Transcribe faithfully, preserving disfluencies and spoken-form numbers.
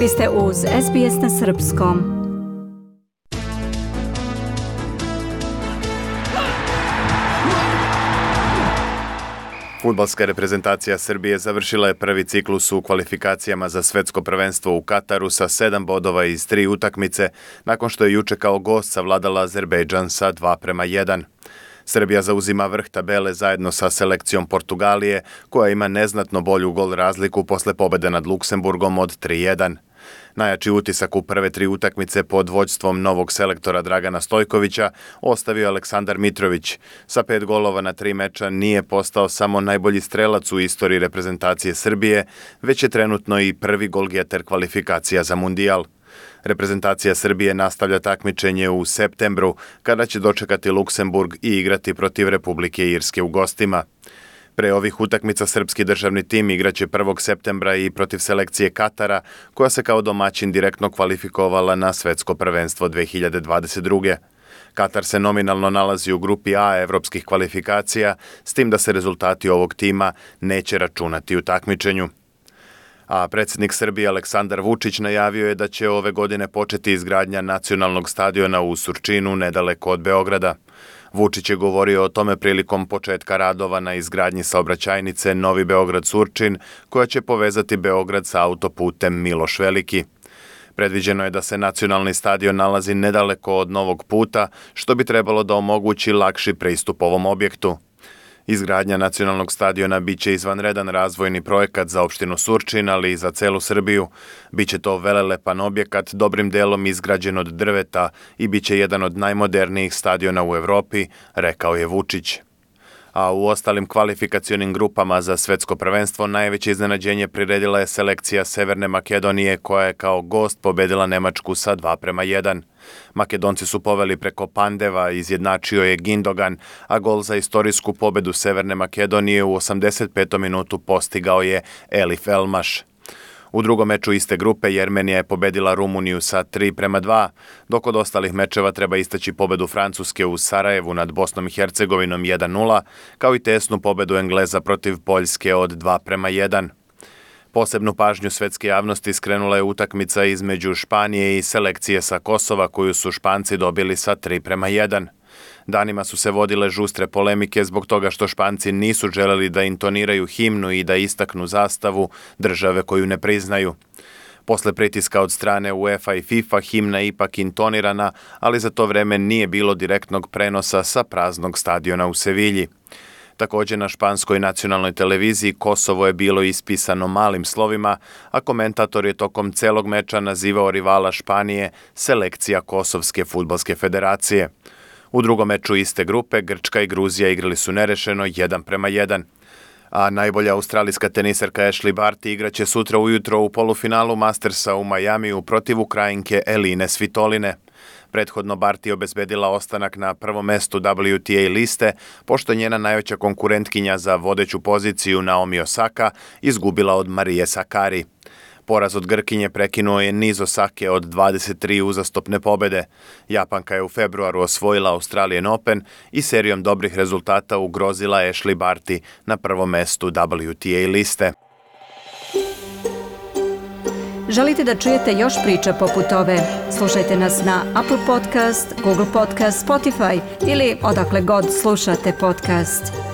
Vi ste uz S B S na srpskom. Fudbalska reprezentacija Srbije završila je prvi ciklus u kvalifikacijama za svetsko prvenstvo u Kataru sa sedam bodova iz tri utakmice, nakon što je juče kao gost savladala Azerbejdžan sa dva prema jedan. Srbija zauzima vrh tabele zajedno sa selekcijom Portugalije, koja ima neznatno bolju gol razliku posle pobede nad Luksemburgom od tri jedan. Najjači utisak u prve tri utakmice pod vođstvom novog selektora Dragana Stojkovića ostavio Aleksandar Mitrović. Sa pet golova na tri meča nije postao samo najbolji strelac u istoriji reprezentacije Srbije, već je trenutno i prvi golgeter kvalifikacija za Mundijal. Reprezentacija Srbije nastavlja takmičenje u septembru, kada će dočekati Luksemburg i igrati protiv Republike Irske u gostima. Pre ovih utakmica srpski državni tim igraće prvog septembra i protiv selekcije Katara, koja se kao domaćin direktno kvalifikovala na svetsko prvenstvo dve hiljade dvadeset druge. Katar se nominalno nalazi u grupi A evropskih kvalifikacija, s tim da se rezultati ovog tima neće računati u takmičenju. A predsjednik Srbije Aleksandar Vučić najavio je da će ove godine početi izgradnja nacionalnog stadiona u Surčinu, nedaleko od Beograda. Vučić je govorio o tome prilikom početka radova na izgradnji saobraćajnice Novi Beograd-Surčin, koja će povezati Beograd sa autoputem Miloš Veliki. Predviđeno je da se nacionalni stadion nalazi nedaleko od novog puta, što bi trebalo da omogući lakši pristup ovom objektu. Izgradnja nacionalnog stadiona biće izvanredan razvojni projekat za opštinu Surčin, ali i za celu Srbiju. Biće to velelepan objekat, dobrim delom izgrađen od drveta i biće jedan od najmodernijih stadiona u Evropi, rekao je Vučić. A u ostalim kvalifikacionim grupama za svetsko prvenstvo najveće iznenađenje priredila je selekcija Severne Makedonije, koja je kao gost pobedila Nemačku sa dva prema jedan. Makedonci su poveli preko Pandeva, izjednačio je Gindogan, a gol za istorijsku pobedu Severne Makedonije u osamdeset petom minutu postigao je Elif Elmaš. U drugom meču iste grupe Jermenija je pobedila Rumuniju sa tri prema dva, dok od ostalih mečeva treba istaći pobedu Francuske u Sarajevu nad Bosnom i Hercegovinom jedan nula, kao i tesnu pobedu Engleza protiv Poljske od dva prema jedan. Posebnu pažnju svetske javnosti skrenula je utakmica između Španije i selekcije sa Kosova, koju su Španci dobili sa tri prema jedan. Danima su se vodile žustre polemike zbog toga što Španci nisu želeli da intoniraju himnu i da istaknu zastavu države koju ne priznaju. Posle pritiska od strane UEFA i FIFA himna je ipak intonirana, ali za to vreme nije bilo direktnog prenosa sa praznog stadiona u Sevilji. Također na španskoj nacionalnoj televiziji Kosovo je bilo ispisano malim slovima, a komentator je tokom celog meča nazivao rivala Španije selekcija Kosovske fudbalske federacije. U drugom meču iste grupe Grčka i Gruzija igrali su nerešeno jedan prema jedan. A najbolja australijska teniserka Ashley Barty igraće sutra ujutro u polufinalu Mastersa u Majamiju protiv Ukrajinke Eline Svitoline. Prethodno Barty obezbedila ostanak na prvom mestu W T A liste, pošto njena najveća konkurentkinja za vodeću poziciju Naomi Osaka izgubila od Marije Sakari. Poraz od Grkinje prekinuo je niz Osake od dvadeset tri uzastopne pobede. Japanka je u februaru osvojila Australian Open i serijom dobrih rezultata ugrozila Ashley Barty na prvom mestu W T A liste. Želite da čujete još priča poput ove? Slušajte nas na Apple Podcast, Google Podcast, Spotify ili odakle god slušate podcast.